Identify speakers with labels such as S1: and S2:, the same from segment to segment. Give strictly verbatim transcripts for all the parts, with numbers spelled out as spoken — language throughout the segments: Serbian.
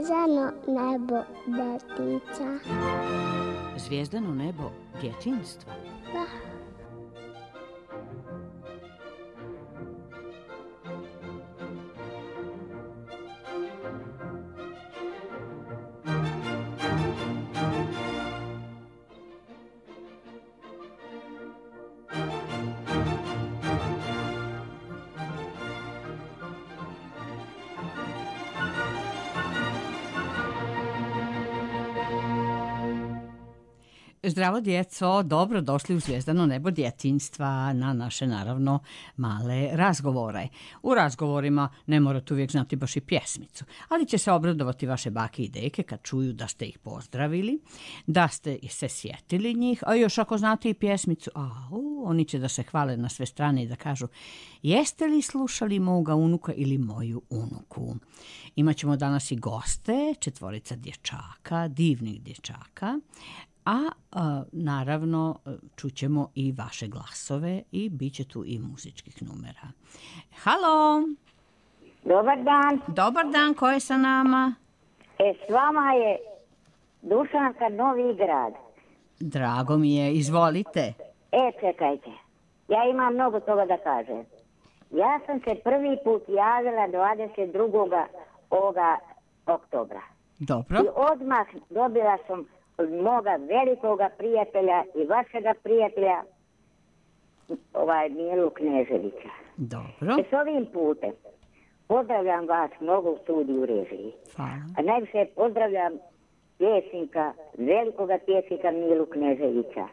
S1: Zvezdano nebo detica.
S2: Zvijezdano nebo djetinjstva?
S1: Da.
S2: Zdravo djeco, dobro došli u Zvijezdano nebo djetinjstva na naše naravno male razgovore. U razgovorima ne morate uvijek znati baš i pjesmicu, ali će se obradovati vaše bake i deke kad čuju da ste ih pozdravili, da ste se sjetili njih, a još ako znate i pjesmicu, au, oni će da se hvale na sve strane i da kažu jeste li slušali moga unuka ili moju unuku. Imaćemo danas i goste, četvorica dječaka, divnih dječaka, a, a naravno čućemo i vaše glasove i bit će tu i muzičkih numera. Halo!
S3: Dobar dan.
S2: Dobar dan, ko je sa nama?
S3: E, s vama je Dušanka Novi Grad.
S2: Drago mi je, izvolite.
S3: E, čekajte, ja imam mnogo toga da kažem. Ja sam se prvi put javila dvadeset drugog ovoga oktobra.
S2: Dobro.
S3: I odmah dobila sam od moga velikoga prijatelja i vašega prijatelja, ovaj Milu Kneževića.
S2: Dobro.
S3: E, s ovim putem pozdravljam vas mnogo u studiju režiji.
S2: Hvala.
S3: A najviše pozdravljam pjesnika, velikoga pjesnika Milu Kneževića.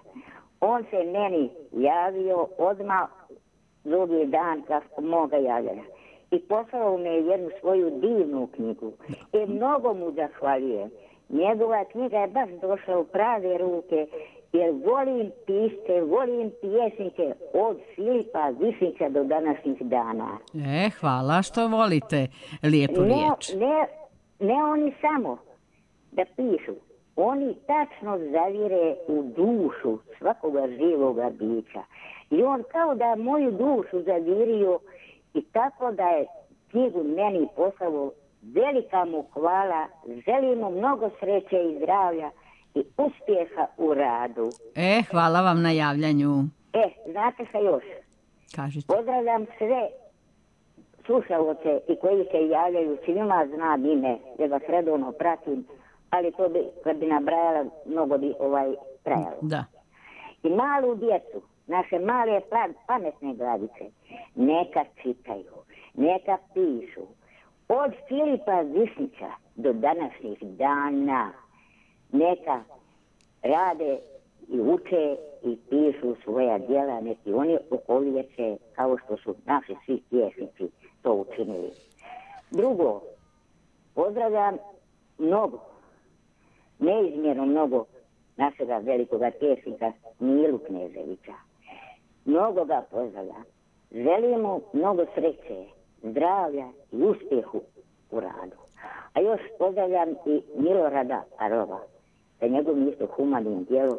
S3: On se meni javio odmah drugi dan kako moga javljanja. I poslao me jednu svoju divnu knjigu. I mnogo mu zahvaljujem. Njegova knjiga je baš došla u prave ruke, jer volim pisce, volim pjesnike od Filipa Višnjića do današnjih dana.
S2: E, hvala što volite lijepu
S3: ne,
S2: riječ.
S3: Ne, ne oni samo da pišu, oni tačno zavire u dušu svakoga živoga bića. I on kao da je moju dušu zavirio i tako da je knjigu meni poslao. Velika mu hvala, želim mu mnogo sreće i zdravlja i uspjeha u radu.
S2: E, hvala vam na javljanju.
S3: E, znate šta još?
S2: Kažite.
S3: Pozdravljam sve slušalce i koji se javljaju, svima znam ime, jer vas redovno pratim, ali to bi, kad bi nabrajala, mnogo bi ovaj trajalo.
S2: Da.
S3: I malu djecu, naše male pametne glavice, neka čitaju, neka pišu. Od Filipa Višnjića do današnjih dana neka rade i uče i pišu svoja djela, neki oni okoljeće kao što su naši svi pjesnici to učinili. Drugo, pozdravljam mnogo, neizmjerno mnogo našega velikoga pjesnika Milu Kneževića. Mnogo ga pozdravljam. Želim mu mnogo sreće, zdravlja i uspjehu u radu. A još pozdravljam i Milorada Arova sa njegovim isto humanim djelom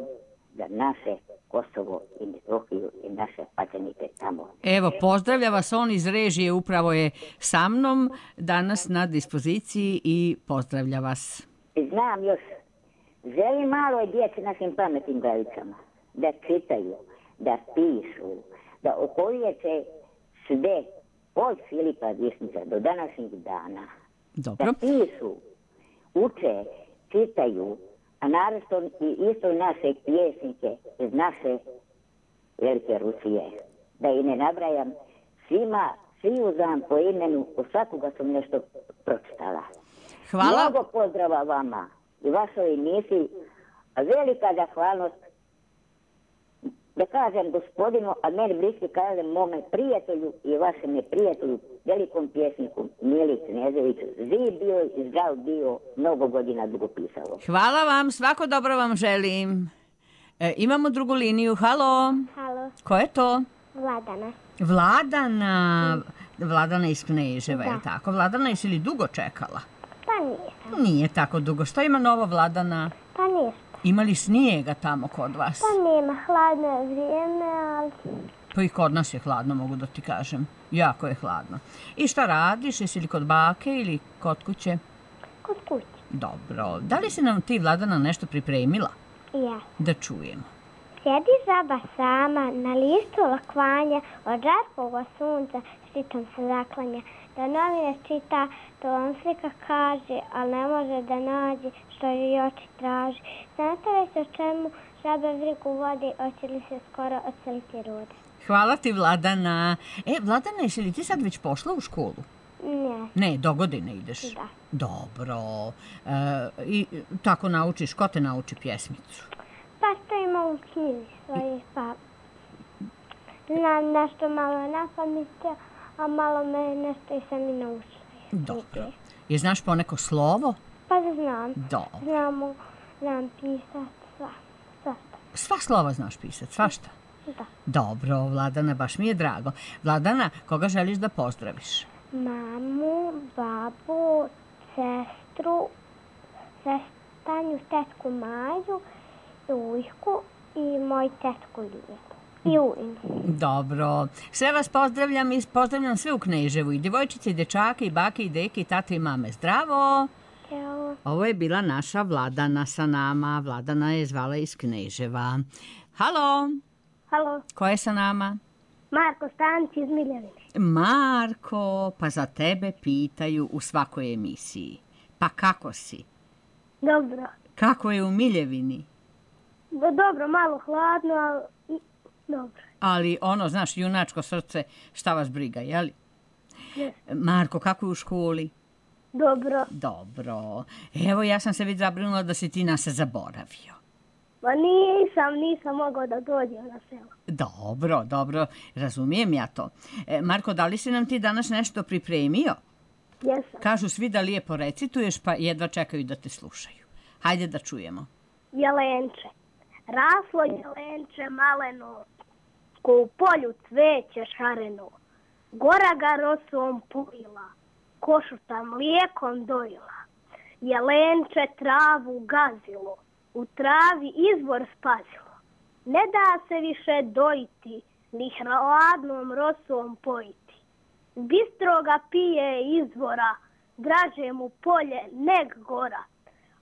S3: za naše Kosovo i Metohiju i naše pačenike tamo.
S2: Evo, pozdravlja vas on iz režije, upravo je sa mnom danas na dispoziciji i pozdravlja vas.
S3: Znam još, želim maloj djeci našim pametnim glavicama da čitaju, da pišu, da okoljeće sve od Filipa Višnjića do današnjih dana.
S2: Dobro.
S3: Da pišu, uče, čitaju, a naravno i isto naše pjesnike iz naše velike Rusije. Da i ne nabrajam, svima, svi uzam po imenu, u svakoga sam nešto pročitala.
S2: Hvala.
S3: Mnogo pozdrava vama i vašoj emisiji, a velika zahvalnost da kažem gospodinu, a meni bliski kažem mome prijatelju i vašem prijatelju, velikom pjesniku Mili Kneževiću. Živ bio i zdrav bio, mnogo godina dugo pisalo.
S2: Hvala vam, svako dobro vam želim. E, imamo drugu liniju, halo.
S1: Halo.
S2: Ko je to?
S1: Vladana.
S2: Vladana, Vladana iz Kneževa,
S1: Da.
S2: je li tako? Vladana, jesi li dugo čekala?
S1: Pa nisam.
S2: Nije tako dugo. Što ima novo, Vladana?
S1: Pa ništa.
S2: Ima li snijega tamo kod vas?
S1: Pa nema, hladno je vrijeme, ali
S2: Pa i kod nas je hladno, mogu da ti kažem. Jako je hladno. I šta radiš? Jesi li kod bake ili kod kuće?
S1: kod kuće.
S2: Dobro. Da li si nam ti, Vladana, nešto pripremila?
S1: Ja.
S2: Da čujemo.
S1: Sjedi žaba sama na listu lakvanja, od žarkoga sunca štitom se zaklanja. Da novine čita, to vam slika kaže, ali ne može da nađe što joj oči traži. Znate li se o čemu žaba vrigu vodi, hoće li se skoro odseliti rode?
S2: Hvala ti, Vladana. E, Vladana, jesi li ti sad već pošla u školu?
S1: Ne.
S2: Ne, do godine ideš.
S1: Da.
S2: Dobro. E, I tako naučiš, ko te nauči pjesmicu?
S1: Pa što ima u knjizi svoje, pa znam nešto malo na pamet, a malo me nešto i sam i naučila.
S2: Dobro. Je znaš poneko slovo?
S1: Pa znam.
S2: Dobro.
S1: Znamo, znam pisat sva, svašta.
S2: Sva slova znaš pisat, svašta?
S1: Da.
S2: Dobro, Vladana, baš mi je drago. Vladana, koga želiš da pozdraviš?
S1: Mamu, babu, sestru, sestanju, tetku Maju, ujku i moj tetku Liju. I ujnu.
S2: Dobro. Sve vas pozdravljam i pozdravljam sve u Kneževu. I djevojčice, i dečake, i bake, i deke, i tate, i mame. Zdravo!
S1: Evo,
S2: Ovo je bila naša Vladana sa nama. Vladana je zvala iz Kneževa. Halo!
S1: halo,
S2: Ko je sa nama?
S1: Marko Stanić iz Miljevine.
S2: Marko, pa za tebe pitaju u svakoj emisiji. Pa kako si?
S1: Dobro.
S2: Kako je u Miljevini?
S1: Dobro, malo hladno, ali dobro.
S2: Ali ono, znaš, junačko srce, šta vas briga, jeli? Marko, kako je u školi?
S1: Dobro.
S2: Dobro. Evo, ja sam se već zabrinula da si ti nas zaboravio.
S1: Pa nisam, nisam mogao da dođem na selo.
S2: Dobro, dobro, razumijem ja to. E, Marko, da li si nam ti danas nešto pripremio?
S1: Jesam.
S2: Kažu svi da lijepo recituješ, pa jedva čekaju da te slušaju. Hajde da čujemo.
S1: Jelenče. Raslo jelenče maleno, ko u polju cveće šareno. Gora ga rosom pojila, košuta mlijekom dojila. Jelenče travu gazilo, u travi izvor spazilo. Ne da se više dojiti, ni hladnom rosom pojiti. Bistroga pije izvora, draže mu polje neg gora.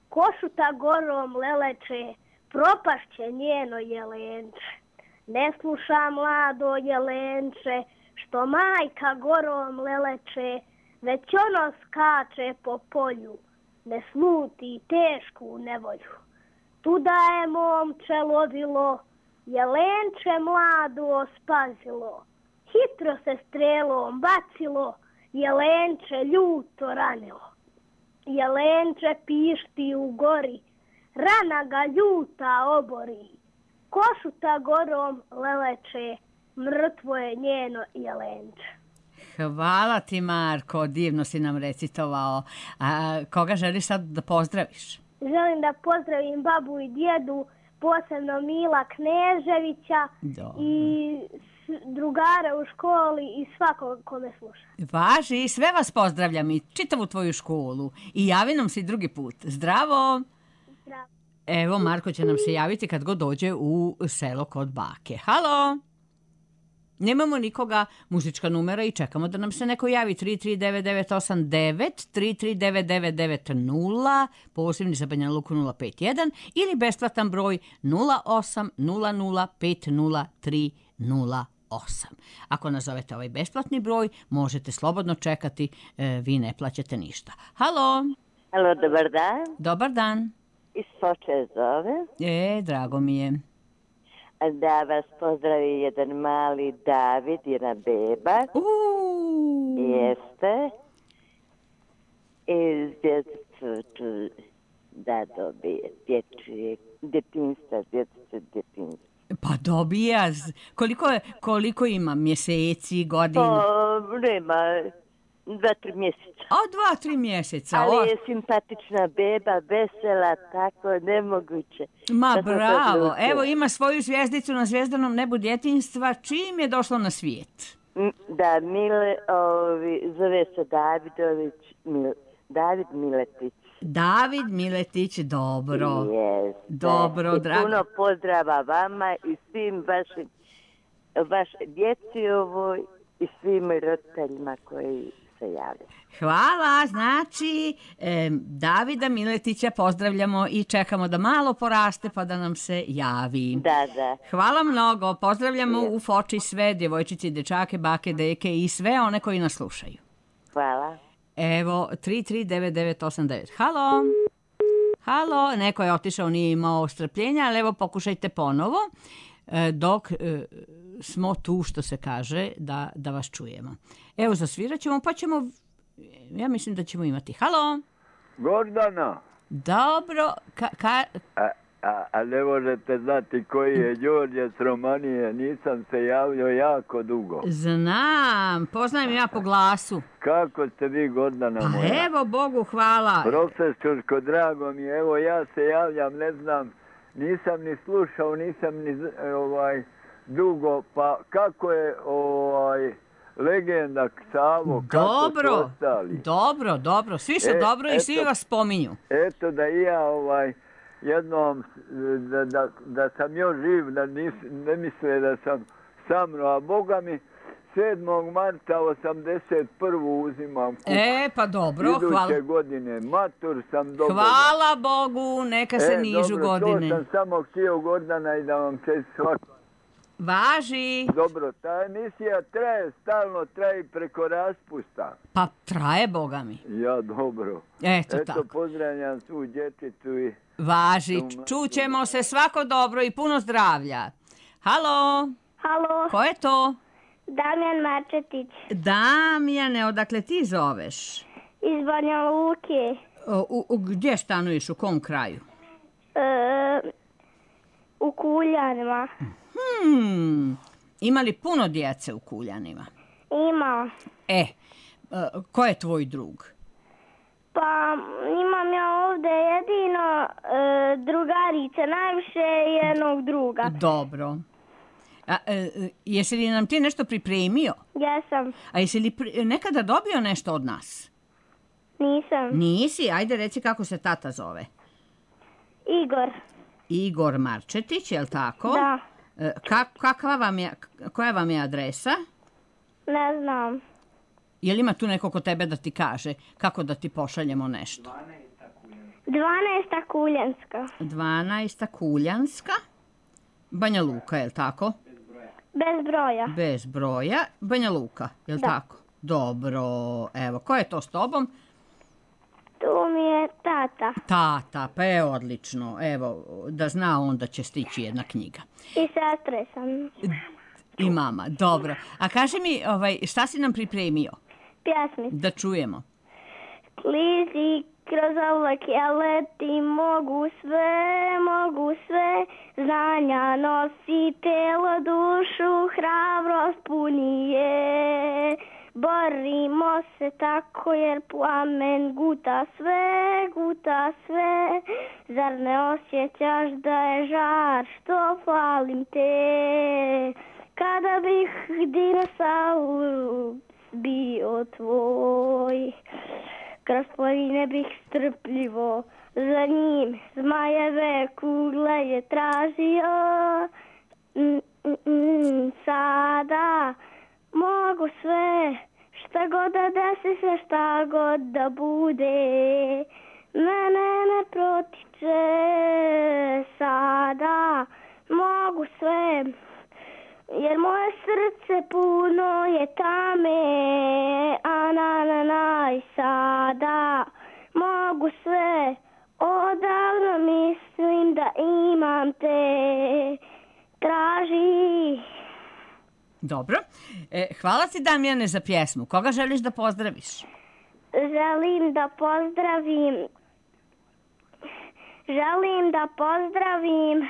S1: Košuta gorom leleče, propašće njeno jelenče. Ne sluša mlado jelenče, što majka gorom leleče, već ono skače po polju, ne sluti tešku nevolju. Tuda je momče lovilo, jelenče mlado spazilo. Hitro se strelom bacilo, jelenče ljuto ranilo. Jelenče pišti u gori, rana ga ljuta obori. Košuta gorom leleče, mrtvo je njeno jelenče.
S2: Hvala ti, Marko, divno si nam recitovao. A koga želiš sad da pozdraviš?
S1: Želim da pozdravim babu i djedu, posebno Mila Kneževića
S2: Dobro.
S1: i drugara u školi i svakog ko me sluša.
S2: Važi, sve vas pozdravljam i čitavu tvoju školu. I javi nam se i drugi put. Zdravo!
S1: Zdravo.
S2: Evo, Marko će nam se javiti kad god dođe u selo kod bake. Halo! Nemamo nikoga, muzička numera i čekamo da nam se neko javi. tri tri devet devet osam devet, tri tri devet devet devet nula, posebni za Banja Luku nula pet jedan ili besplatan broj nula osam nula nula pet nula tri nula osam. Ako nazovete ovaj besplatni broj, možete slobodno čekati, e, vi ne plaćate ništa. Halo!
S3: Halo, dobar dan.
S2: Dobar dan.
S3: Iz Foče zove.
S2: E, drago mi je.
S3: Da vas pozdravi jedan mali David, jedna beba.
S2: Uuu.
S3: Jeste. I djecu ću da dobije dječje djetinjstva, dječice djetinjstva.
S2: Pa dobija. z- Koliko, koliko ima mjeseci, godina?
S3: To nema dva, tri mjeseca.
S2: O, dva, tri mjeseca.
S4: Ali
S2: o.
S4: je simpatična beba, vesela, tako nemoguće.
S2: Ma
S4: Da sam se
S2: bravo,
S4: odlučila.
S2: evo ima svoju zvjezdicu na zvjezdanom nebu djetinjstva. Čim je došlo na svijet?
S4: M, Da, Mile, ovi, zove se Davidović, Mil, David Miletić.
S2: David Miletić, dobro.
S4: Yes,
S2: Dobro,
S4: I
S2: drago.
S4: puno pozdrava vama i svim vašim, vaš djeci ovoj i svim roditeljima koji se javljaju.
S2: Hvala, znači e, Davida Miletića pozdravljamo i čekamo da malo poraste pa da nam se javi.
S4: Da, da.
S2: Hvala mnogo, pozdravljamo u Foči sve djevojčice i dečake, bake, deke i sve one koji nas slušaju.
S4: Hvala.
S2: Evo, tri tri devet devet osam devet. Halo? Halo, neko je otišao, nije imao strpljenja, ali evo pokušajte ponovo, e, dok e, smo tu, što se kaže, da, da vas čujemo. Evo, zasvirat ćemo, pa ćemo, ja mislim da ćemo imati. Halo?
S5: Gordana,
S2: Dobro, ka, ka,
S5: a, a, a ne možete znati koji je Đorđe s Romanije, nisam se javljao jako dugo.
S2: znam, poznajem ja po glasu.
S5: Kako ste vi, Gordana
S2: Pa
S5: moja?
S2: evo, Bogu hvala.
S5: Profesorsko, drago mi je, evo ja se javljam, ne znam, nisam ni slušao, nisam ni z- ovaj dugo, pa kako je ovaj legenda Savo, kako su
S2: Dobro,
S5: ostali?
S2: dobro, dobro, svi su
S5: E,
S2: dobro i svi
S5: eto.
S2: vas spominju.
S5: Eto da i ja ovaj jednom da, da, da sam još živ, da nis, ne misle da sam samno, a Boga mi sedmog marta osamdeset prvu uzimam kuk.
S2: E, pa dobro,
S5: Iduće
S2: hvala.
S5: godine, matur sam dobio.
S2: Hvala Bogu, neka se
S5: e,
S2: nižu
S5: dobro,
S2: godine.
S5: to sam samo htio, Gordana, i da vam čest svako.
S2: Važi.
S5: Dobro, ta emisija traje, stalno traje preko raspusta.
S2: Pa traje, Boga mi.
S5: Ja, dobro.
S2: Eto,
S5: Eto,
S2: tako.
S5: pozdravljam svu djeticu i...
S2: Važi, čućemo se, svako dobro i puno zdravlja. Halo,
S1: Halo,
S2: ko je to?
S1: Damjan Marčetić
S2: Damjane, odakle ti zoveš?
S1: iz Banja Luke.
S2: O, u, u, gdje stanuješ, u kom kraju?
S1: E, u Kuljanima.
S2: Hmm, ima li puno djece u Kuljanima?
S1: Ima.
S2: E, e, ko je tvoj drug?
S1: Pa imam ja ovdje jedino e, drugarice, najviše jednog druga.
S2: Dobro. A, e, e, jesi li nam ti nešto pripremio?
S1: Jesam,
S2: A jesi li pri- nekada dobio nešto od nas?
S1: nisam.
S2: Nisi? Ajde reci kako se tata zove.
S1: Igor,
S2: Igor Marčetić, je li tako?
S1: da,
S2: E, ka- kakva vam je, koja vam je adresa?
S1: ne znam.
S2: Je li ima tu neko kod tebe da ti kaže kako da ti pošaljemo nešto?
S1: dvanaesta Kuljanska,
S2: dvanaesta Kuljanska, Banja Luka, je li tako?
S1: bez broja.
S2: Bez broja, Banja Luka, je li
S1: Da.
S2: tako? Dobro, evo, ko je to s tobom?
S1: Tu mi je tata
S2: Tata, pa je odlično, evo, da zna on da će stići jedna knjiga.
S1: i sestre sam.
S2: I mama, dobro. A kaži mi, ovaj, šta si nam pripremio?
S1: Pjesmica.
S2: Da čujemo.
S1: Klizi kroz oblake leti, mogu sve, mogu sve, znanja nosi telo, dušu, hrabrost puni je. Borimo se tako jer plamen guta sve, guta sve. Zar ne osjećaš da je žar što falim te? Kada bih dinosaurus bio tvoj, kroz poline bih strpljivo za njim zmajeve kugle je tražio. Mm, mm, mm, sada mogu sve, šta god da desi se, šta god da bude, mene ne protiče. Sada mogu sve, jer moje srce puno je tame, a na na na i sada mogu sve, odavno mislim da imam te, traži.
S2: Dobro. E, hvala ti, Damjane, za pjesmu. Koga želiš da pozdraviš?
S1: Želim da pozdravim, želim da pozdravim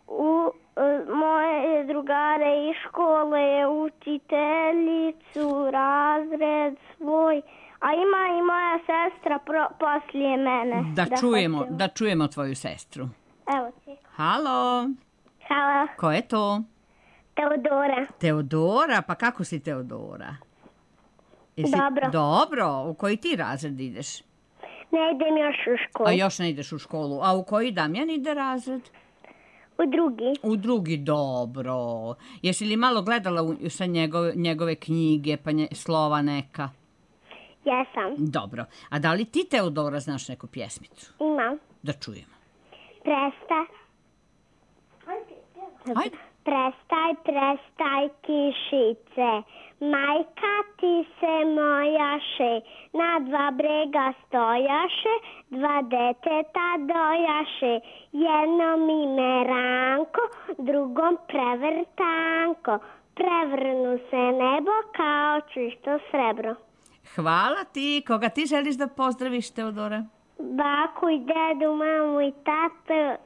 S1: u e, moje drugare iz škole, učiteljicu, razred svoj, A ima i moja sestra pro, poslije mene.
S2: Da, da čujemo,
S1: hoće.
S2: da čujemo tvoju sestru.
S1: Evo ti.
S2: Halo,
S1: Halo,
S2: ko je to?
S1: Teodora.
S2: Teodora, pa kako si Teodora? Jesi...
S1: Dobro.
S2: Dobro, u koji ti razred ideš?
S1: Ne idem još u školu.
S2: A još ne ideš u školu. A u koji Damjan ide razred?
S1: U drugi.
S2: U drugi, dobro. Jesi li malo gledala u, sa njegove, njegove knjige, pa nje, slova neka?
S1: Jesam.
S2: Dobro. A da li ti, Teodora, znaš neku pjesmicu?
S1: Imam.
S2: Da čujemo.
S1: Presta.
S2: Ajde.
S1: Prestaj, prestaj kišice, majka ti se mojaše, na dva brega stojaše, dva deteta dojaše, jednom ime Ranko, drugom prevrtanko, prevrnu se nebo kao čisto srebro.
S2: Hvala ti. Koga ti želiš da pozdraviš, Teodora?
S1: Baku i dedu, mamu i tatu.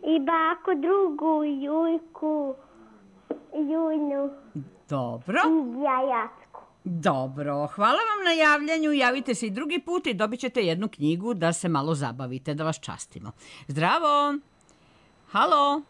S1: I baku drugu, Jujku, Jujnu.
S2: Dobro.
S1: I Jajacku.
S2: Dobro. Hvala vam na javljanju. Javite se i drugi put i dobit ćete jednu knjigu da se malo zabavite, da vas častimo. Zdravo. Halo.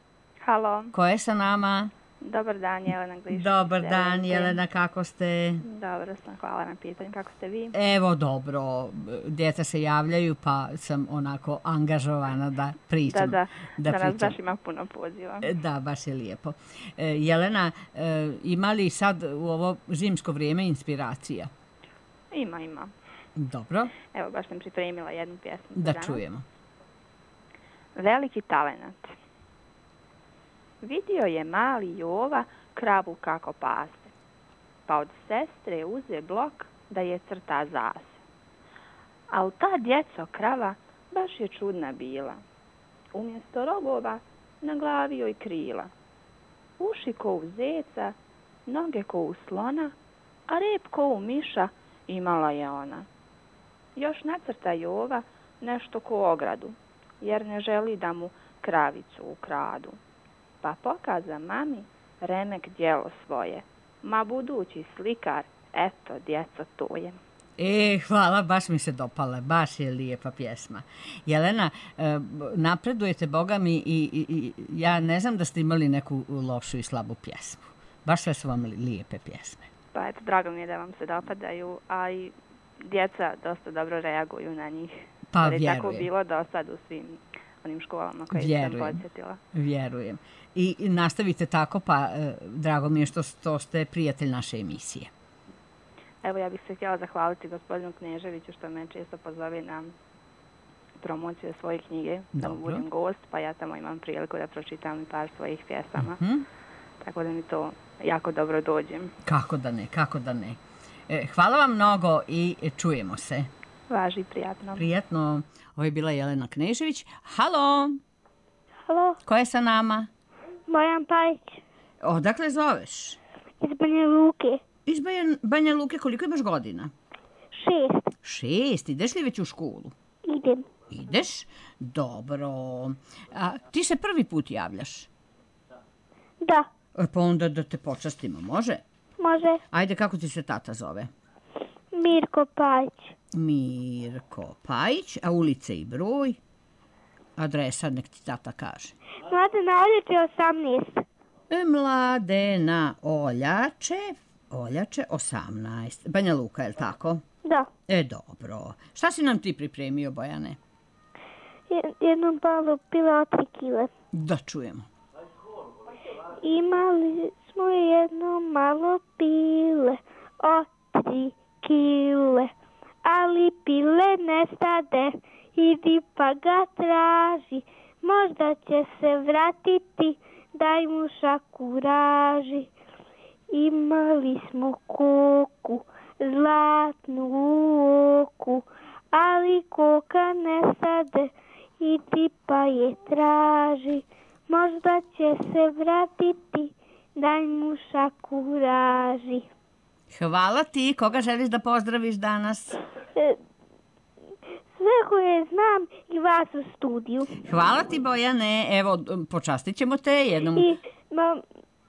S6: Halo.
S2: Ko je sa nama?
S6: Dobar dan, Jelena Glišić.
S2: Dobar dan, Jelena, kako ste?
S6: Dobro sam, hvala na pitanju. Kako ste vi?
S2: Evo, dobro. Djeca se javljaju, pa sam onako angažovana da pričam.
S6: Da, da.
S2: Da,
S6: da nas
S2: pričam.
S6: baš ima puno poziva.
S2: Da, baš je lijepo. E, Jelena, e, ima li sad u ovo zimsko vrijeme inspiracija?
S6: Ima, ima.
S2: Dobro.
S6: Evo, baš sam pripremila jednu pjesmu.
S2: Da
S6: danas.
S2: čujemo.
S6: Veliki talenat. Vidio je mali Jova kravu kako pase, pa od sestre uze blok da je crta zase. Al ta djeco krava baš je čudna bila. Umjesto rogova na glavi joj krila. Uši ko u zeca, noge ko u slona, a rep ko u miša imala je ona. Još nacrta Jova nešto ko ogradu, jer ne želi da mu kravicu ukradu. Pa pokaza mami remek djelo svoje. Ma budući slikar, eto, djeco, to je.
S2: E, hvala, baš mi se dopala, baš je lijepa pjesma. Jelena, e, napredujete, Boga mi, i, i, i ja ne znam da ste imali neku lošu i slabu pjesmu. Baš sve su vam lijepe pjesme.
S6: Pa eto, drago mi je da vam se dopadaju, a i djeca dosta dobro reaguju na njih.
S2: Pa
S6: jer je
S2: vjerujem.
S6: tako bilo do sad u svim onim školama koje
S2: Vjerujem.
S6: sam podsjetila.
S2: Vjerujem. I, i nastavite tako, pa e, drago mi je što, što ste prijatelj naše emisije.
S6: Evo, ja bih se htjela zahvaliti gospodinu Kneževiću što me često pozove na promociju svoje knjige, da mu budem gost, pa ja tamo imam priliku da pročitam par svojih pjesama.
S2: Mm-hmm. Tako
S6: da mi to jako dobro dođe.
S2: Kako da ne, kako da ne. E, hvala vam mnogo i čujemo se.
S6: Važi, prijatno.
S2: Prijatno. Ovo je bila Jelena Knežević. Halo.
S1: Halo.
S2: Ko je sa nama?
S1: Bojan Pajić.
S2: Odakle zoveš?
S1: Iz Banja Luke.
S2: Iz Banja, Banja Luke, koliko imaš godina?
S1: Šest.
S2: Šest, ideš li već u školu?
S1: Idem.
S2: Ideš? Dobro. A ti se prvi put javljaš?
S1: Da.
S2: E, pa onda da te počastimo, može?
S1: Može.
S2: Ajde, kako ti se tata zove?
S1: Mirko Pajić.
S2: Mirko Pajić, a ulice i broj? Adresa, nek ti tata kaže.
S1: Mladena Oljače osamnaest.
S2: E, Mladena Oljače, Oljače osamnaest. Banja Luka, je li tako?
S1: Da.
S2: E, dobro. Šta si nam ti pripremio, Bojane?
S1: Jednom malo pile od tri kile.
S2: Da čujemo.
S1: Imali smo jedno malo pile od tri kile, ali pile ne stade, idi pa ga traži, možda će se vratiti, daj mu šaku raži. Imali smo koku, zlatnu u oku, ali koka ne stade, idi pa je traži, možda će se vratiti, daj mu šaku raži.
S2: Hvala ti. Koga želiš da pozdraviš danas?
S1: E, sve koje znam i vas u studiju.
S2: Hvala ti, Bojane. Evo, počastit ćemo te jednom.
S1: I ma,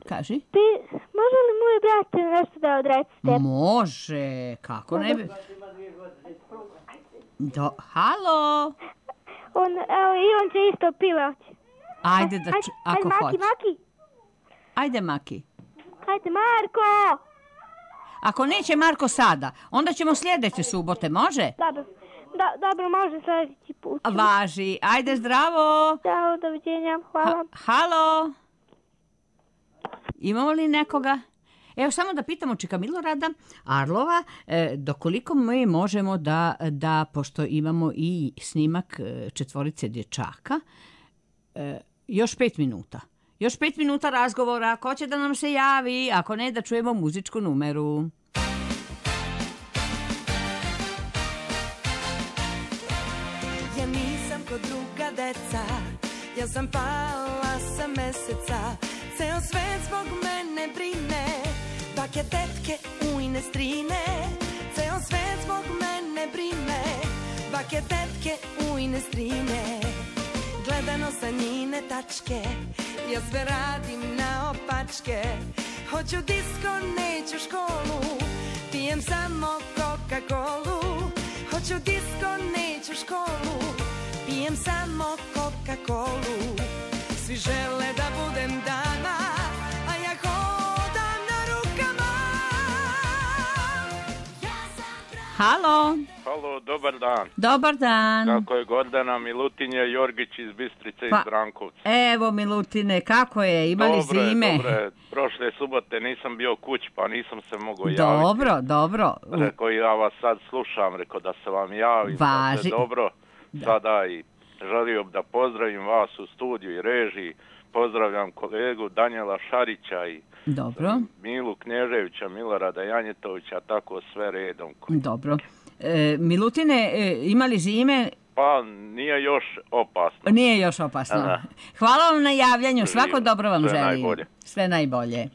S2: Kaži.
S1: Ti, može li moj brat nešto da odrecite?
S2: Može, kako ne bi... Do, halo?
S1: On, evo, i on će isto pivati.
S2: Ajde, da ču, ako
S1: Maki,
S2: hoće.
S1: Maki,
S2: Ajde, Maki.
S1: hajde, Marko!
S2: Ako neće Marko sada, onda ćemo sljedeće subote, može?
S1: Dobro, da, dobro, može sljedeći put.
S2: Važi. Ajde, zdravo.
S1: Ćao, doviđenja, hvala.
S2: Ha, halo? Imamo li nekoga? Evo, samo da pitamo čika Milorada Arlova, e, dokoliko mi možemo da, da, pošto imamo i snimak e, četvorice dječaka, e, još pet minuta. Još pet minuta razgovora, ko će da nam se javi, ako ne da čujemo muzičku numeru.
S7: Ja nisam ko druga deca, ja sam pala sa meseca, ceo svet zbog mene brine, bake, tetke, ujne, strine, ceo svet zbog mene brine, bake, tetke, ujne, strine, gledano sa njine tačke, ja sve radim na opačke, hoću disko, neću školu, pijem samo Coca-Colu, hoću disko, neću školu, pijem samo Coca-Colu, svi žele da budem dama, a ja hodam na rukama. Ja sam...
S2: Halo?
S8: Halo, dobar dan.
S2: Dobar dan.
S8: Kako je Gordana Milutinje Jorgić iz Bistrice
S2: Pa,
S8: iz Brankovca.
S2: Evo, Milutine, kako je? Imali
S8: Dobre,
S2: zime?
S8: dobre. Prošle subote nisam bio kući, pa nisam se mogao javiti.
S2: Dobro, dobro.
S8: Rekao, ja vas sad slušam, rekao da se vam javim.
S2: Važi.
S8: Da se dobro.
S2: Da.
S8: Sada i želio da pozdravim vas u studiju i režiji. Pozdravljam kolegu Danijela Šarića i
S2: Dobro.
S8: Milu Knježevića, Milorada Janjetovića, tako sve redom.
S2: Dobro. E, Milutine, e, imali zime?
S8: Pa nije još opasno.
S2: Nije još opasno.
S8: Aha.
S2: Hvala vam na javljanju, svako dobro vam
S8: Sve
S2: želim.
S8: najbolje.
S2: Sve najbolje.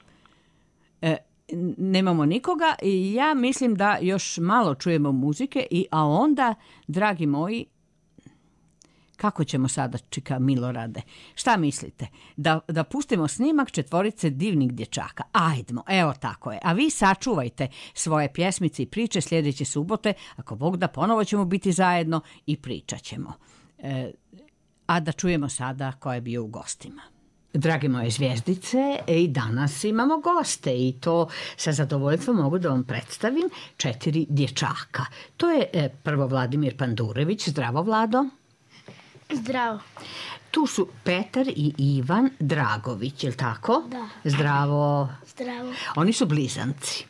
S2: E, n- nemamo nikoga i ja mislim da još malo čujemo muzike, i, a onda, dragi moji, kako ćemo sada, čika Milorade? Šta mislite? Da, da pustimo snimak četvorice divnih dječaka. Ajdmo, evo tako je. A vi sačuvajte svoje pjesmice i priče sljedeće subote. Ako Bog da, ponovo ćemo biti zajedno i pričat ćemo. E, a da čujemo sada ko je bio u gostima. Drage moje zvijezdice, i danas imamo goste i to sa zadovoljstvom mogu da vam predstavim četiri dječaka. To je e, prvo Vladimir Pandurević. Zdravo, Vlado.
S1: Zdravo.
S2: Tu su Petar i Ivan Dragović, je li tako?
S1: Da.
S2: Zdravo.
S1: Zdravo.
S2: Oni su blizanci.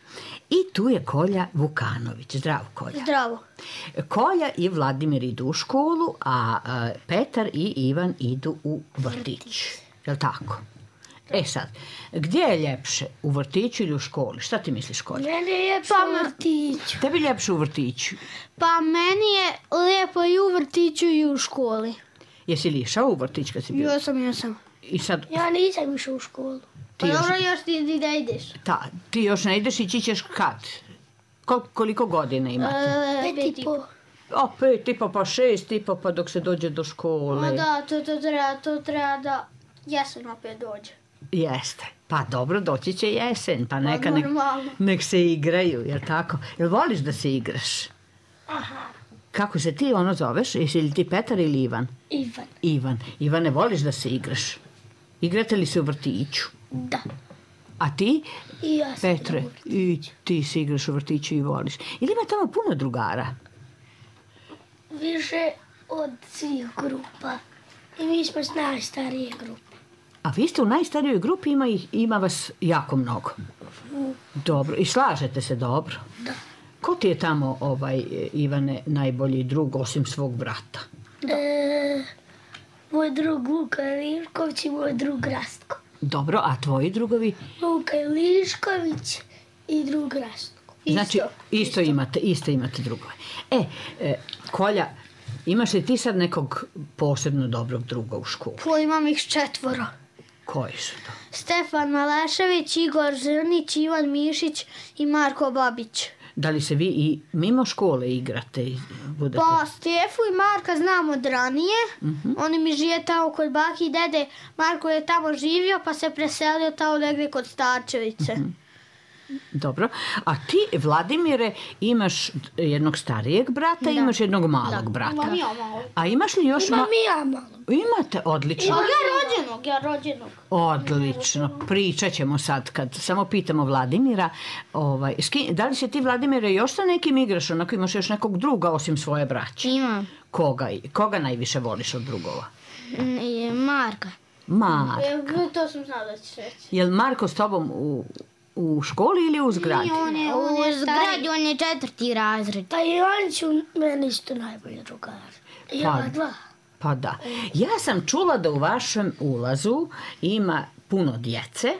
S2: I tu je Kolja Vukanović. Zdravo, Kolja.
S1: Zdravo.
S2: Kolja i Vladimir idu u školu, a e, Petar i Ivan idu u vrtić. Je li tako? E sad, gdje je ljepše? U vrtiću ili u školi? Šta ti misliš, Kolja?
S9: Meni je ljepše u vrtiću.
S2: Tebi ljepše u vrtiću.
S9: Pa meni je lijepo i u vrtiću i u školi.
S2: Jesi li išao u vrtić kad si bio?
S9: Jo sam, jo sam.
S2: I sad,
S9: Ja nisam išao u školu. Pa
S2: Ti još-
S9: dobro, još ti ti da ideš.
S2: ta, ti još ne ideš, ići ćeš kad? Kol- koliko godina imate?
S9: E, pet i po.
S2: O, pet i po, pa šest i po, pa dok se dođe do škole.
S9: Ma da, to, to treba, to treba da jesen opet dođe.
S2: Jeste. Pa dobro, doći će jesen, pa neka nek,
S9: normalno.
S2: nek se igraju, jel tako? Jel voliš da se igraš?
S9: Aha.
S2: Kako se ti ono zoveš? Jesi li ti Petar ili Ivan?
S9: Ivan.
S2: Ivan. Ivane, voliš da se igraš? Igrate li se u vrtiću?
S9: Da.
S2: A ti,
S9: I ja sam
S2: Petre,
S9: u vrtiću.
S2: i ti se igraš u vrtiću i voliš. Ili ima tamo puno drugara?
S9: Više od svih grupa. I mi smo s najstarije grupe.
S2: A vi ste u najstarijoj grupi, ima, ih, ima vas jako mnogo. Dobro. I slažete se dobro?
S9: Da.
S2: Ko ti je tamo, ovaj, Ivane, najbolji drug osim svog brata?
S9: E, moj drug Luka Lišković i moj drug Rastko.
S2: Dobro, a tvoji drugovi?
S9: Luka Lišković i drug Rastko.
S2: Znači, isto imate, isto imate drugove. E, e, Kolja, imaš li ti sad nekog posebno dobrog druga u školu?
S9: Po imam ih četvoro.
S2: Koji su to?
S9: Stefan Malešević, Igor Zrnić, Ivan Mišić i Marko Babić.
S2: Da li se vi i mimo škole igrate? Budete...
S9: Pa Stefu i Marka znam od ranije.
S2: Mhm.
S9: Oni mi žive tamo kod baki i dede. Marko je tamo živio pa se preselio tamo negdje kod Starčevice.
S2: Dobro. A ti, Vladimire, imaš jednog starijeg brata i imaš jednog malog brata.
S9: Imam ja malo.
S2: A imaš li još...
S9: Imam
S2: ma-
S9: i ja malo.
S2: Imate, odlično.
S9: Imam ja rođenog, ja rođenog.
S2: Odlično. Pričat ćemo sad kad samo pitamo Vladimira. Ovaj, s kim- da li se ti, Vladimire, još sa nekim igraš? Onako imaš još nekog druga osim svoje braće?
S9: Imam.
S2: Koga, koga najviše voliš od drugova?
S9: Marka.
S2: Marko.
S9: To sam znala da ćeš reći.
S2: Jel Marko s tobom u, u školi ili u zgradi?
S9: On je, on je zgradi, on je četvrti razred.
S10: Pa i oni su meni isto najbolji drugari. Ja
S2: Pa-
S10: dva.
S2: Pa da. Ja sam čula da u vašem ulazu ima puno djece.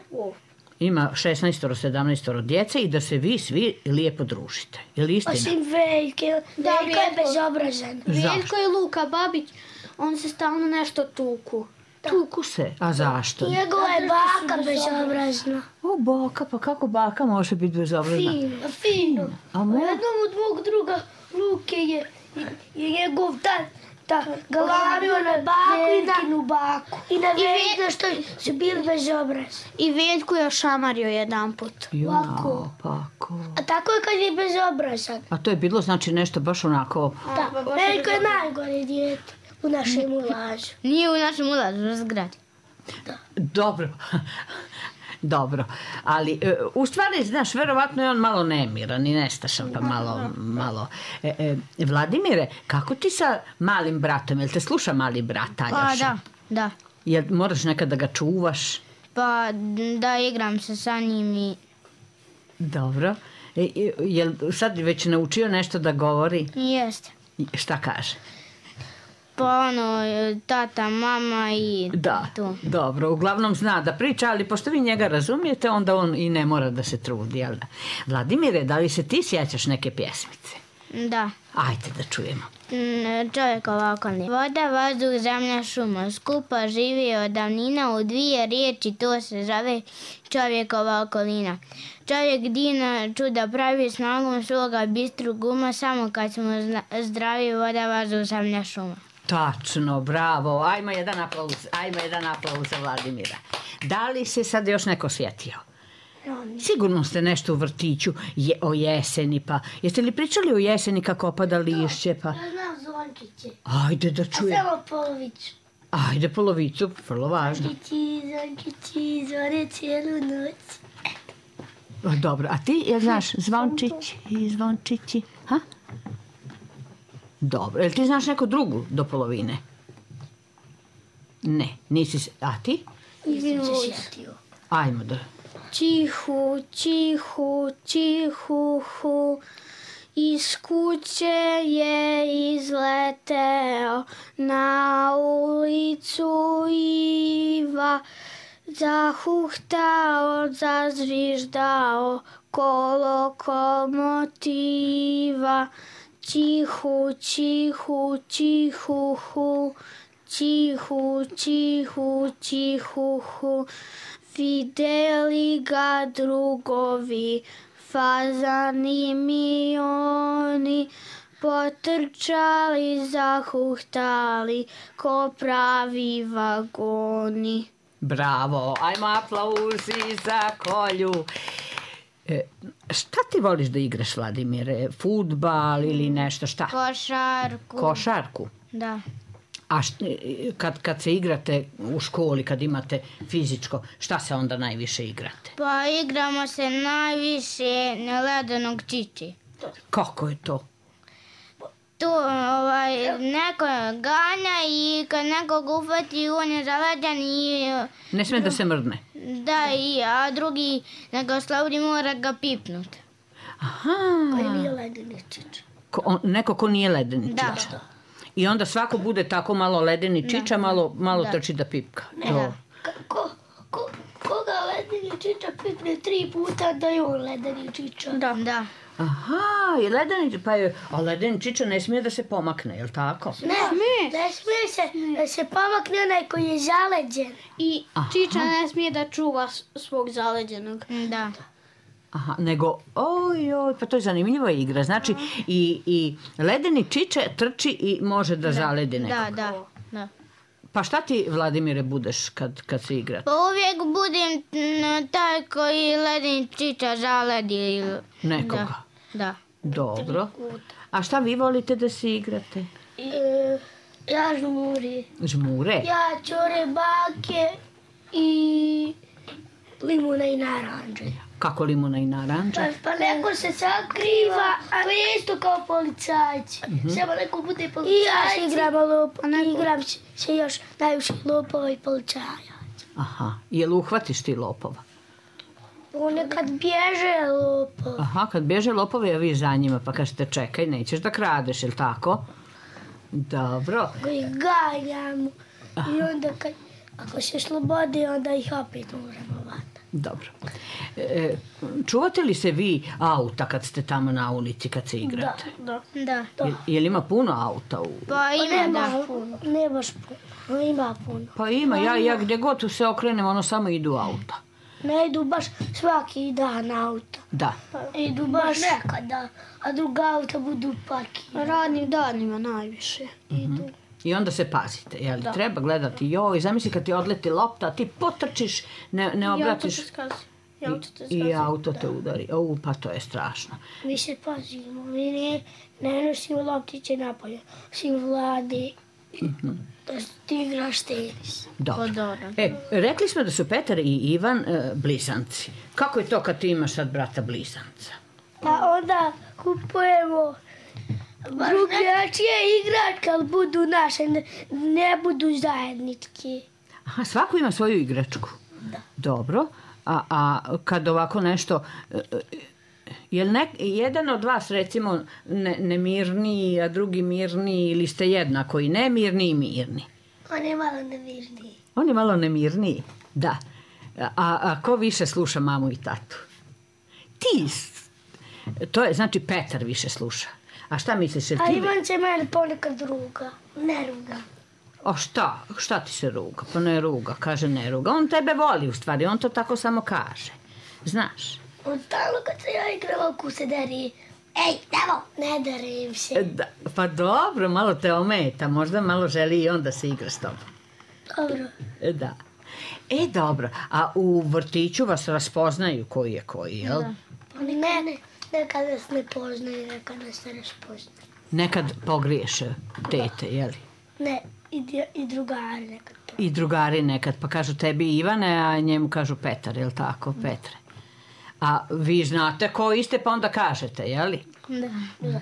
S2: Ima šesnaest sedamnaest djece i da se vi svi lijepo družite. Je li istina?
S10: Osim Veljke,
S9: Da,
S10: Veljka je
S9: Veljko.
S10: bezobrazan.
S9: Veljko i Luka Babić, on se stalno nešto tuku.
S2: Tuku se. A zašto?
S10: Njegova je baka bezobrazna.
S2: O, baka, pa kako baka može biti bezobrazna?
S10: Fino, fino.
S2: A
S10: A
S2: mo-
S10: jednom od mog druga Luke je, je njegov tata galamio na baku i na baku. I na Veljka što su bili bezobrazni.
S9: I Veljko je šamario jedan put.
S2: Jao, pako.
S10: A tako je kad je bezobrazan.
S2: A to je bilo znači nešto baš onako...
S10: Da, Veljko je najgore dijete u našem ulažu.
S9: Nije u našem ulazu, u zgradi.
S2: Dobro. Dobro, ali e, u stvari, znaš, verovatno je on malo nemiran i nestašan, pa malo, malo. E, e, Vladimire, kako ti sa malim bratom, jel te sluša mali brat Aljoša?
S9: Pa da, da.
S2: Jel moraš nekad da ga čuvaš?
S9: Pa da igram se sa njim i...
S2: Dobro. E, e, jel sad već naučio nešto da govori?
S9: Jeste.
S2: Šta kaže?
S9: Pa ono, tata, mama i
S2: Da,
S9: to.
S2: dobro, uglavnom zna da priča, ali pošto vi njega razumijete, onda on i ne mora da se trudi, jel da? Vladimire, da li se ti sjećaš neke pjesmice?
S9: Da.
S2: Ajde da čujemo.
S9: Mm, Čovjekova okolina. Voda, vazduh, zemlja, šuma. Skupa živi od davnina, u dvije riječi to se zove čovjekova okolina. Čovjek divna čuda pravi snagom svoga bistrog uma, samo kad smo zna- zdravi, voda, vazduh, zemlja, šuma.
S2: Tačno, bravo. Ajmo jedan aplauz, ajmo jedan aplauz za Vladimira. Da li se sad još neko sjetio? Sigurno ste nešto u vrtiću je, o jeseni, pa jeste li pričali o jeseni kako opada lišće, pa...
S10: Ja znam zvončiće.
S2: Ajde da
S10: A
S2: čujem.
S10: samo polovicu.
S2: Ajde polovicu, vrlo važno.
S10: Zvončići, zvončići, zvone cijelu noć.
S2: Dobro, a ti, jel znaš, zvončići i zvončići, ha? Dobro, jel ti znaš neku drugu do polovine? Ne, nisi se, a ti?
S10: Nisam se sjetio.
S2: Ajmo da...
S9: Čihu, čihu, čihu, hu, iz kuće je izleteo na ulicu Iva, zahuhtao, zazviždao ko lokomotiva. Čihu, čihu, čihu, hu, čihu, čihu, čihu, hu. Vidjeli ga drugovi, fazani mioni, potrčali, zahuhtali, ko pravi vagoni.
S2: Bravo, ajmo aplauzi za Kolju. E, šta ti voliš da igraš, Vladimire? Fudbal ili nešto, šta?
S9: Košarku.
S2: Košarku?
S9: Da.
S2: A št, kad, kad se igrate u školi, kad imate fizičko, šta se onda najviše igrate?
S9: Pa igramo se najviše na ledenog čiči.
S2: Kako je to?
S9: Tu ovaj, neko ganja i kad nekog ufati on je zaleden i...
S2: Ne sme da se mrdne.
S9: Da, i, a drugi nego slavdi mora ga pipnut.
S2: Aha.
S10: Koji nije ledeni čič.
S2: Ko, on, neko ko nije ledeni
S9: Da.
S2: čiča. I onda svako bude tako malo ledeni čiča, malo, malo
S9: Da.
S2: trči da pipka.
S10: Ne,
S2: To.
S10: ko, ko, koga ledeni čiča pipne tri puta da je on ledeni čiča.
S9: Da. Da.
S2: Aha, i ledeni, pa je, a ledeni čiča ne smije da se pomakne, je li tako?
S10: Ne, ne smije se, da se pomakne onaj koji je zaleđen.
S9: I čiča ne smije da čuva s- svog zaleđenog. Da.
S2: Aha, nego, oj, oj, pa to je zanimljiva igra. Znači, i, i ledeni čiče trči i može da, da zaledi nekog.
S9: Da, da, da.
S2: Pa šta ti, Vladimire, budeš kad, kad se igrate?
S9: Pa uvijek budem taj koji ledeni čiča zaledi.
S2: Nekoga?
S9: Da, da.
S2: Dobro. A šta vi volite da se igrate?
S10: E, ja žmuri.
S2: Žmure?
S10: Ja čore bake i limuna i naranđe.
S2: Kako limuna i naranđa?
S10: Pa neko se sakriva, a to je isto kao policajci. Mm-hmm. Samo neko bude policajci. I ja se igram lopo, igram se još najviše lopova i policajaca.
S2: Aha, jel uhvatiš ti lopova?
S10: Ponekad bježe lopov.
S2: Aha, kad bježe lopovi, a vi za njima, pa kažete čekaj, nećeš da kradeš, jel tako? Dobro.
S10: I ganjamo. I onda kad, ako se slobodi, onda ih opet možemo vatati.
S2: Dobro. E, čuvate li se vi auta kad ste tamo na ulici, kad se igrate?
S10: Da,
S9: da.
S10: da.
S2: Je, je li ima puno auta? U...
S9: Pa ima,
S10: nema,
S9: da.
S10: Puno. Ne baš puno, ima puno.
S2: Pa ima, ja, ja gdje god se okrenem, ono samo idu auta.
S10: Ne idu baš svaki dan auta.
S2: Da.
S10: Idu baš nekada, a druga auta budu parkirani.
S9: Radnim danima najviše
S2: idu. Mm-hmm. I onda se pazite, jel? Da. Treba gledati, joj, zamisli kad ti odleti lopta, ti potrčiš, ne, ne obratiš.
S10: I auto te skazi.
S2: I auto te udari. O, pa to je strašno.
S10: Mi se pazimo, mi ne, ne nosimo loptiće napolje, osim Vlade. Mm-hmm. Da ti igraš tenis.
S2: Dobro. E, rekli smo da su Petar i Ivan e, blizanci. Kako je to kad ti imaš sad brata blizanca?
S10: Pa onda kupujemo drugačije igračke, ali budu naše, ne, ne budu zajednički.
S2: Aha, svako ima svoju igračku?
S10: Da.
S2: Dobro. A, a kad ovako nešto... Je li nek, jedan od vas, recimo, ne, nemirniji, a drugi mirniji, ili ste jednako i nemirni i mirni?
S10: On je malo nemirniji.
S2: On je malo nemirniji, da. A, a ko više sluša mamu i tatu? Ti. To je, znači, Petar više sluša. A šta misliš?
S10: A Ivan će mene ponekad ruga. Ne ruga.
S2: O šta? Šta ti se ruga? Pa ne ruga, kaže ne ruga. On tebe voli u stvari, on to tako samo kaže. Znaš?
S10: On stalno kad se ja igrala oko se deri. Ej, evo, ne derim se.
S2: Da, pa dobro, malo te ometa. Možda malo želi i on da se igra s tobom.
S10: Dobro.
S2: Da. E, dobro. A u vrtiću vas raspoznaju koji je koji, jel?
S10: Da. Pa ne, ne. Nekad nas ne poznaju, nekad nas ne raspoznaju.
S2: Nekad pogriješe tete, jeli?
S10: Ne, i, i drugari nekad.
S2: I drugari nekad, pa kažu tebi Ivane, a njemu kažu Petar, jel tako, Petre? A vi znate ko iste, pa onda kažete, jeli?
S10: Da.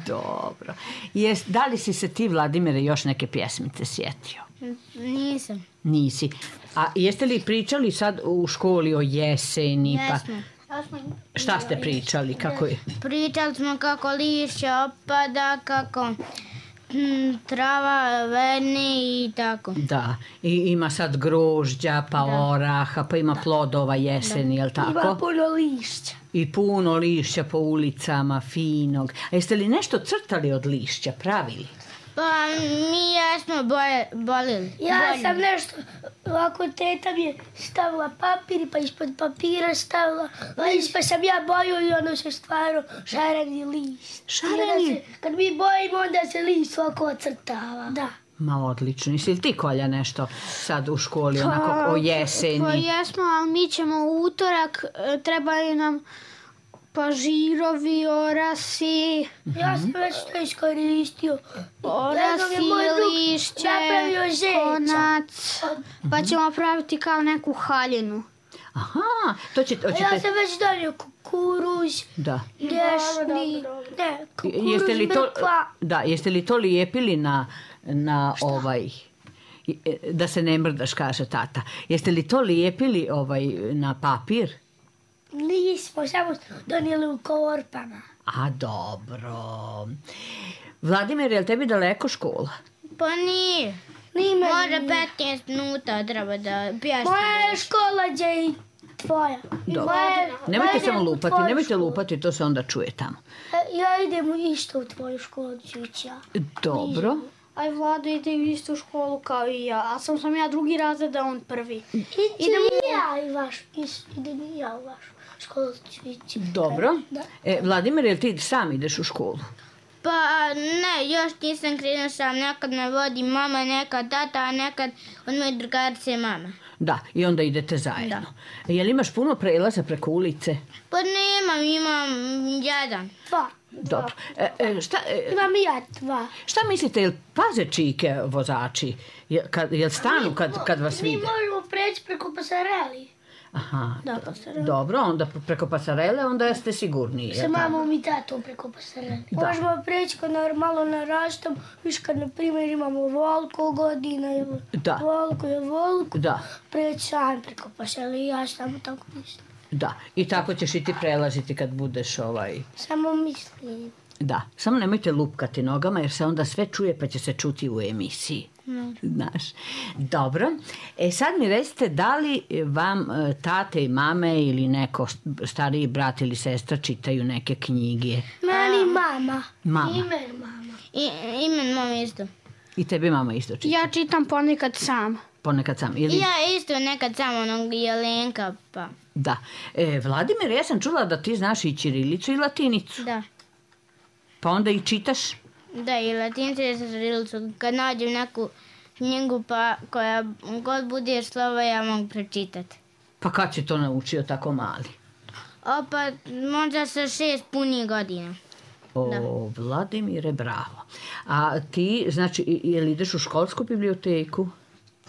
S2: Dobro. Jes, da li si se ti, Vladimire, još neke pjesmice sjetio?
S9: Nisam.
S2: Nisi. A jeste li pričali sad u školi o jeseni?
S9: Jesmo.
S2: Pa... Šta ste pričali? Kako je?
S9: Pričali smo kako lišće opada, kako hm, trava vene i tako.
S2: Da, i ima sad grožđa, pa da. Oraha, pa ima plodova jeseni, jel tako?
S10: Ima puno lišća.
S2: I puno lišća po ulicama, finog. A jeste li nešto crtali od lišća, pravili?
S9: Pa mi jesmo bolili.
S10: Ja bolili. Sam nešto, ovako teta mi je stavila papir, pa ispod papira stavila lišć, pa sam ja bojio i ono se stvarno šareni lišć.
S2: Šareni?
S10: Kad mi bojimo, onda se lišć ovako ocrtava. Da.
S2: Ma odlično. Jesi li ti, Kolja, nešto sad u školi onako o jeseni?
S11: Pa jesmo, ali mi ćemo u utorak, trebaju nam pažirovi, orasi.
S10: Mm-hmm. Ja sam već to iskoristio.
S11: Orasi, lišće, konac. Pa ćemo praviti kao neku haljinu.
S2: Aha, to će...
S10: To ćete... Ja sam već donio kukuruz,
S2: da.
S10: Dešni, ne, kukuruz,
S2: jeste li to,
S10: mrkva.
S2: Da, jeste li to lijepili na, na ovaj... Da se ne mrdaš, kaže tata. Jeste li to lijepili ovaj, na papir?
S10: Nismo, samo donijeli u korpama.
S2: A, dobro. Vladimir, je li tebi daleko škola?
S9: Pa nije.
S10: Nije.
S9: Može petnaest minuta treba da pješti.
S10: Moja škola je i tvoja.
S2: Dobro. Nemojte samo lupati, nemojte lupati, to se onda čuje tamo.
S10: Ja idem isto u tvoju školu, ćuća.
S2: Dobro.
S11: aj Vlado ide u istu školu kao i ja, a sam sam ja drugi razred, a on prvi.
S10: Idemo i ja i vaš, idem i ja u vašu školu.
S2: Dobro. E, Vladimir, jel ti sam ideš u školu?
S9: Pa ne, još nisam krenuo sam, nekad me vodi mama, nekad tata, a nekad od moje drugarice mama.
S2: Da, i onda idete zajedno. Da. Jel imaš puno prelaza preko ulice?
S9: Pa nemam, imam jedan.
S10: Dva.
S2: Dobro. E, e, šta, e,
S10: imam i ja dva.
S2: Šta mislite, jel paze čike vozači? Jel, kad, jel stanu kad, kad vas vide?
S10: Mi možemo preći preko pasareli.
S2: Aha,
S10: da, pasarele.
S2: Dobro, onda preko pasarele, onda ste sigurniji.
S10: Sa mamom i tatom preko pasarele.
S2: Da.
S10: Možemo preći kad malo narastam, viš kad na primjer imamo volko godina, ili
S2: da.
S10: volko je volko,
S2: da.
S10: preći sam preko pasarele i ja samo tako mislim.
S2: Da, i tako ćeš i ti prelaziti kad budeš ovaj...
S10: Samo mislim.
S2: Da, samo nemojte lupkati nogama jer se onda sve čuje pa će se čuti u emisiji.
S10: No.
S2: Znaš. Dobro. E sad mi recite da li vam tate i mame ili neko stariji brat ili sestra čitaju neke knjige?
S10: Meni mama.
S2: Mama.
S10: Imen mama.
S9: I, imen mama isto.
S2: I tebi mama isto čita?
S11: Ja čitam ponekad sam.
S2: Ponekad sam. Ili...
S9: Ja isto nekad sam onog Jelenka pa.
S2: Da. E, Vladimir, ja sam čula da ti znaš i ćirilicu i latinicu.
S9: Da.
S2: Pa onda i čitaš?
S9: Da, i latinicu i ćirilicu. Kad nađem neku knjigu pa koja god bude slova ja mogu pročitati.
S2: Pa kad si to naučio tako mali?
S9: O, pa možda sa šest punih godina.
S2: O, da. Vladimire, bravo. A ti, znači, je li ideš u školsku biblioteku?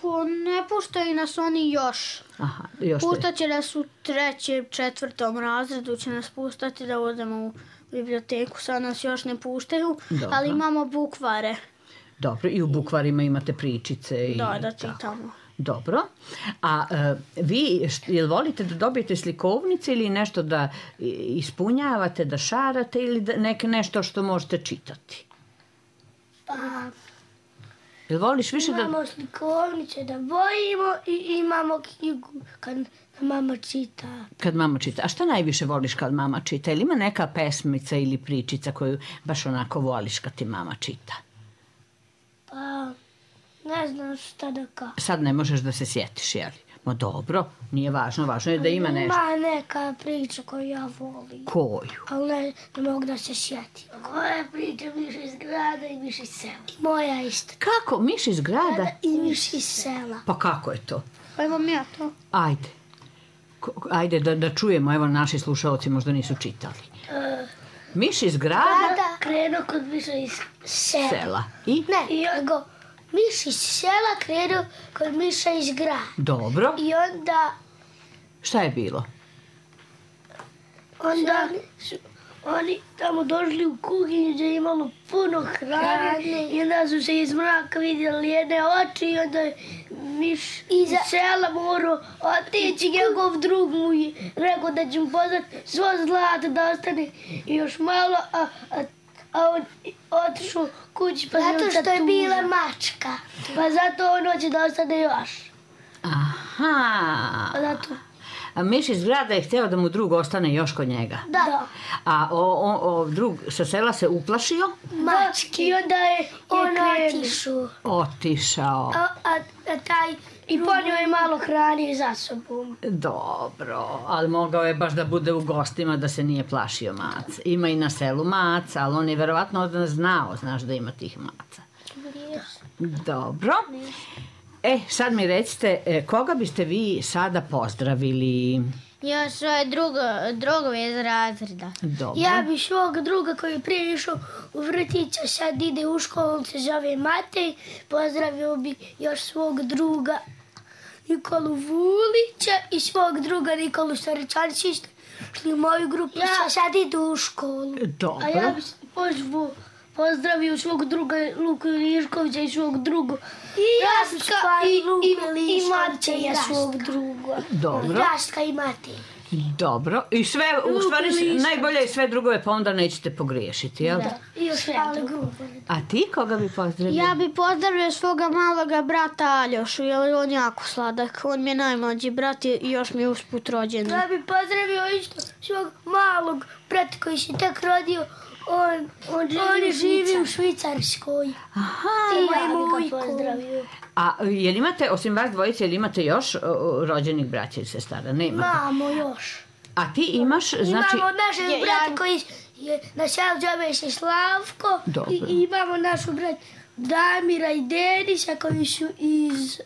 S11: Pa ne puštaju nas oni još.
S2: Aha, još
S11: Pustat će nas u trećem, četvrtom razredu, će nas pustati da odemo u biblioteku. Sad nas još ne puštaju, dobro. Ali imamo bukvare.
S2: Dobro, i u bukvarima imate pričice. I
S11: da, da čitamo.
S2: Dobro. A e, vi, jel volite da dobijete slikovnice ili nešto da ispunjavate, da šarate ili da, nek, nešto što možete čitati?
S10: Pa...
S2: Jel voliš više da...
S10: Imamo slikovnice da bojimo i imamo knjigu kad mama čita.
S2: Kad mama čita. A šta najviše voliš kad mama čita? Ili ima neka pesmica ili pričica koju baš onako voliš kad ti mama čita?
S10: Pa, ne znam šta da kažem.
S2: Sad ne možeš da se sjetiš, jel? Ma dobro, nije važno, važno je da ima nešto.
S10: Ima neka priča koju ja volim.
S2: Koju?
S10: Ali ne, ne mogu da se sjetim. Koja priča Miš iz grada i Miš iz sela? I moja isto.
S2: Kako? Miš iz grada?
S10: I Miš iz sela.
S2: Pa kako je to?
S11: Pa imam ja to.
S2: Ajde. Ajde da, da čujemo, evo naši slušalci možda nisu čitali.
S10: Uh,
S2: Miš iz grada?
S10: Grada krenuo kod Miša iz sela.
S2: Sela. I?
S10: Ne, i nego Miš iz sela krenuo kod Miša iz grada.
S2: Dobro.
S10: I onda...
S2: Šta je bilo?
S10: Onda su oni tamo došli u kuhinju gdje je imalo puno hrane i onda su se iz mraka vidjeli jedne oči i onda je Miš iz sela morao otići, njegov drug mu je rekao da će mu pozvati svo zlato da ostane još malo, a, a, a on otišao kući pa zato što je bila mačka. Pa zato on hoće da ostane još.
S2: Aha.
S10: Pa zato...
S2: A Miš iz grada je htio da mu drug ostane još kod njega.
S10: Da.
S2: A o, o, o, drug sa sela se uplašio?
S10: Mački. I onda je on otišao.
S2: Otišao.
S10: A, a, a taj... I ponio je malo hrane za sobom.
S2: Dobro, ali mogao je baš da bude u gostima da se nije plašio maca. Ima i na selu maca, ali on je verovatno znao, znaš da ima tih maca. Dobro. E, sad mi recite, koga biste vi sada pozdravili?
S9: Ja svoje drugo, drugove iz razreda.
S2: Dobro.
S10: Ja bi svog druga koji je prije išao u vrtića, sad ide u školu, on se zove Matej. Pozdravio bi još svog druga Nikolu Vulića i svog druga Nikolu Starečanića. Šli u moju grupu, ja sad idu u školu.
S2: Dobro.
S10: A ja bi pozvao, pozdravio svog druga Luku Iliškovića i svog drugog Rastka i, i, i Mateja svog druga.
S2: Dobro.
S10: Rastka i Matej.
S2: Dobro. I sve, u stvari, najbolje je sve drugove, pa onda nećete pogriješiti, jel?
S10: Da. I još sve grupe.
S2: A ti koga bi pozdravio?
S11: Ja bi pozdravio svoga maloga brata Aljošu, jer on jako sladak. On mi je najmlađi brat i još mi je usput rođen.
S10: Ja bi pozdravio isto svog malog brata koji se tek rodio. On, on, on živi u Švicarskoj.
S2: Aha.
S10: I ja bi ga pozdravio.
S2: A jel imate, osim vas dvojice, jel imate još rođenih braća i sestara? Nemate?
S10: Imamo još.
S2: A ti imaš, znači...
S10: Imamo našeg brata koji je na selu zove se Slavko.
S2: Dobro.
S10: I imamo našu brat Damira i Denisa koji su iz...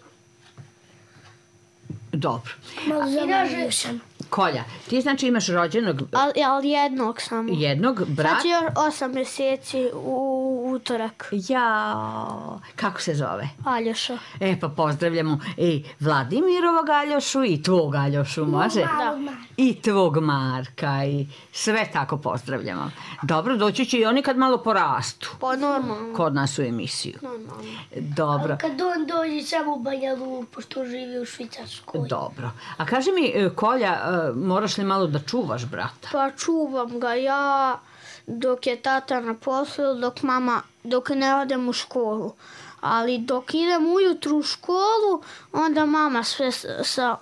S2: Dobro.
S10: Malo zaboravio sam.
S2: Kolja, ti znači imaš rođenog...
S11: Ali, ali jednog samo.
S2: Jednog brata?
S11: Sad je još osam mjeseci u utorak.
S2: Ja, kako se zove?
S11: Aljoša.
S2: E, pa pozdravljamo i Vladimirovog Aljošu i tvog Aljošu, može?
S10: Da.
S2: I tvog Marka i sve tako pozdravljamo. Dobro, doći će i oni kad malo porastu.
S11: Pa normalno.
S2: Kod nas u emisiju.
S11: Normalno.
S2: Dobro.
S10: A kad on dođe samo u Banja Luku, pošto živi u Švicarskoj.
S2: Dobro. A kaži mi, Kolja, moraš li malo da čuvaš brata?
S11: Pa čuvam ga ja dok je tata na poslu, dok mama, dok ne odem u školu. Ali dok idem ujutru u školu, onda mama sve sa...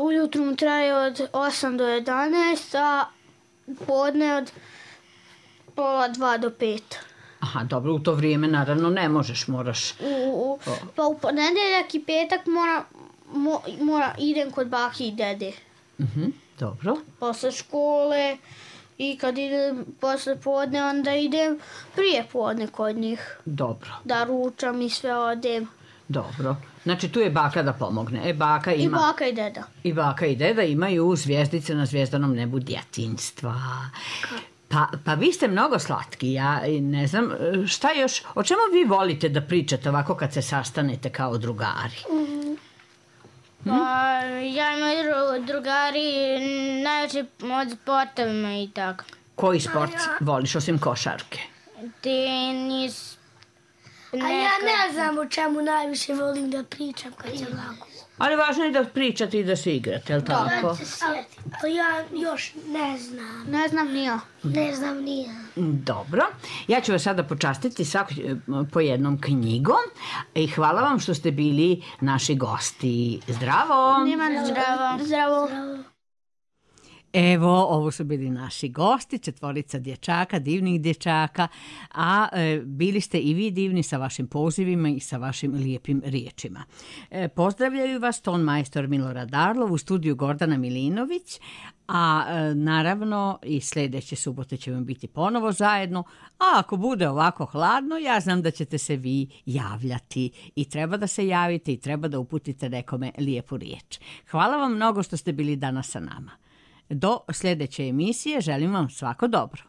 S11: Ujutru mu traje od osam do jedanaest, a podne od pola dva do pet.
S2: Aha, dobro, u to vrijeme naravno ne možeš, moraš...
S11: U, u, pa u ponedeljak i petak mora, mo, mora, idem kod baki i dede.
S2: Mhm, dobro.
S11: Posle škole i kad idem posle podne, onda idem prije podne kod njih.
S2: Dobro.
S11: Da ručam i sve odem.
S2: Dobro. Znači tu je baka da pomogne. E, baka ima...
S11: I baka i deda.
S2: I baka i deda imaju zvijezdice na zvijezdanom nebu djetinjstva. Pa, pa vi ste mnogo slatki, ja ne znam, šta još, o čemu vi volite da pričate ovako kad se sastanete kao drugari?
S9: Mm. Pa, ja i moji drugari najveće od sportovima i tako.
S2: Koji sport voliš osim košarke?
S9: Tenis.
S10: A ja ne znam o čemu najviše volim da pričam kad je lako.
S2: Ali važno je da pričate i da se igrate, je li tako?
S10: Da, se sjetim. Ali ja još ne znam.
S11: Ne znam ni ja.
S10: Ne znam ni ja.
S2: Dobro. Ja ću vas sada počastiti svako po jednom knjigom i hvala vam što ste bili naši gosti. Zdravo!
S11: Nima zdravo. Zdravo.
S2: Evo, ovo su bili naši gosti, četvorica dječaka, divnih dječaka, a e, bili ste i vi divni sa vašim pozivima i sa vašim lijepim riječima. E, pozdravljaju vas ton majstor Milorad Arlov, u studiju Gordana Milinović, a e, naravno i sljedeće subote ćemo biti ponovo zajedno, a ako bude ovako hladno, ja znam da ćete se vi javljati i treba da se javite i treba da uputite nekome lijepu riječ. Hvala vam mnogo što ste bili danas sa nama. Do sljedeće emisije želim vam svako dobro.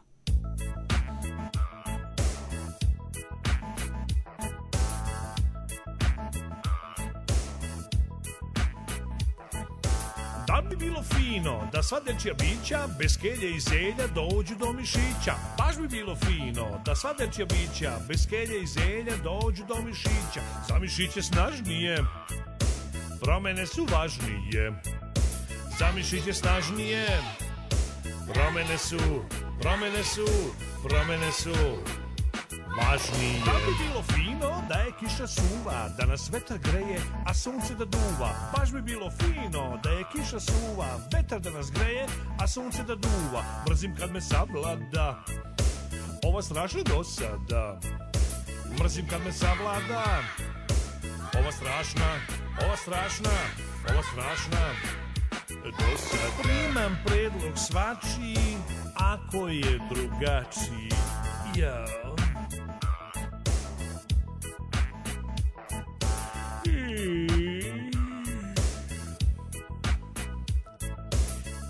S12: Da bi bilo fino da sva dečja bića bez kelje i zelja dođu do mišića. Baš bi bilo fino da sva dečja bića bez kelje i zelja dođu do mišića. Za mišiće snažnije, promjene su važnije. Za mišiće snažnije, promjene su, promjene su, promjene su važnije. Da bi bilo fino da je kiša suva, da nas vetar greje, a sunce da duva. Baš bi bilo fino da je kiša suva, vetar da nas greje, a sunce da duva. Mrzim kad me savlada ova strašna dosada. Mrzim kad me savlada ova strašna, ova strašna, ova strašna dosad. Primam predlog svačiji, ako je drugačiji. Jao.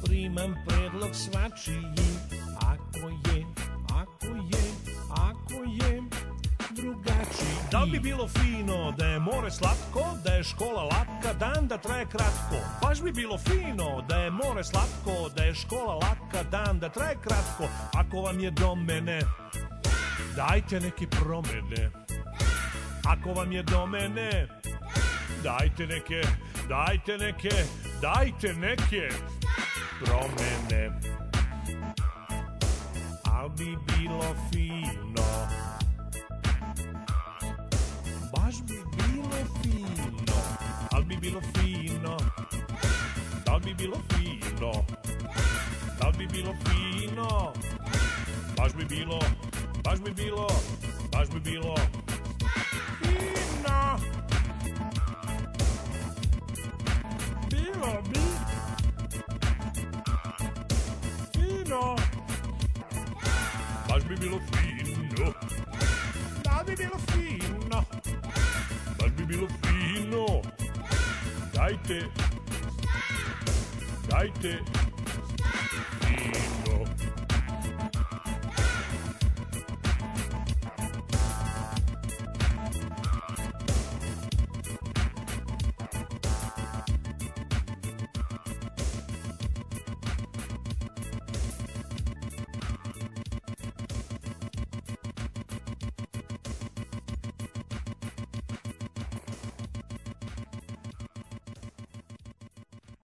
S12: Primam predlog svačiji, ako je, ako je, ako je drugačiji. Da bi bilo fino da je more slatko, da je škola latka, dan da traje kratko. Baš bi bilo fino da je more slatko, da je škola latka, dan da traje kratko. Ako vam je do mene, dajte neke promjene. Ako vam je do mene, dajte neke, dajte neke, dajte neke promjene. Al bi bilo fino, baš bi bilo fino, al bi bilo fino, da bi bilo fino, da bi bilo fino, baš bi bilo, baš bi bilo, baš bi bilo fino. Bilo bi fino. Baš bi bilo fino. Da bi bilo fino. Baš bi bilo fino. Dajte, dajte fino.